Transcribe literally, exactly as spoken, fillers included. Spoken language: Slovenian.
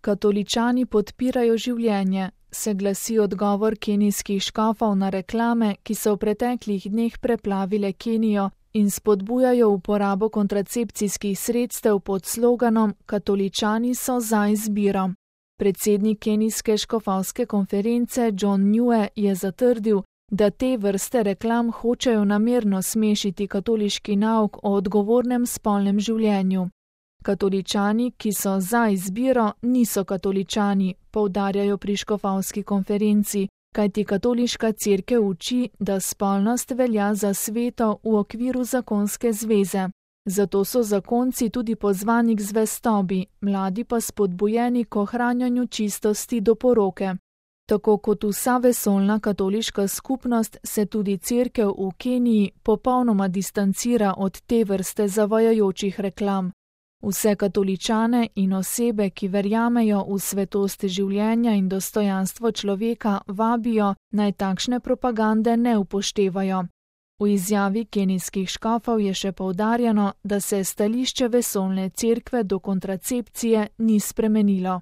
Katoličani podpirajo življenje, se glasi odgovor kenijskih škofov na reklame, ki so v preteklih dneh preplavile Kenijo in spodbujajo uporabo kontracepcijskih sredstev pod sloganom Katoličani so za izbiro. Predsednik kenijske škofovske konference John Nue je zatrdil, da te vrste reklam hočejo namerno smešiti katoliški nauk o odgovornem spolnem življenju. Katoličani, ki so za izbiro, niso katoličani, poudarjajo pri škofovski konferenci, kajti katoliška cerkev uči, da spolnost velja za sveto v okviru zakonske zveze. Zato so zakonci tudi pozvani k zvestobi, mladi pa spodbujeni k ohranjanju čistosti do poroke. Tako kot vsa vesoljna katoliška skupnost se tudi cerkev v Keniji popolnoma distancira od te vrste zavajajočih reklam. Vse katoličane in osebe, ki verjamejo v svetost življenja in dostojanstvo človeka, vabijo, naj takšne propagande ne upoštevajo. V izjavi kenijskih škofov je še poudarjeno, da se stališče vesoljne cerkve do kontracepcije ni spremenilo.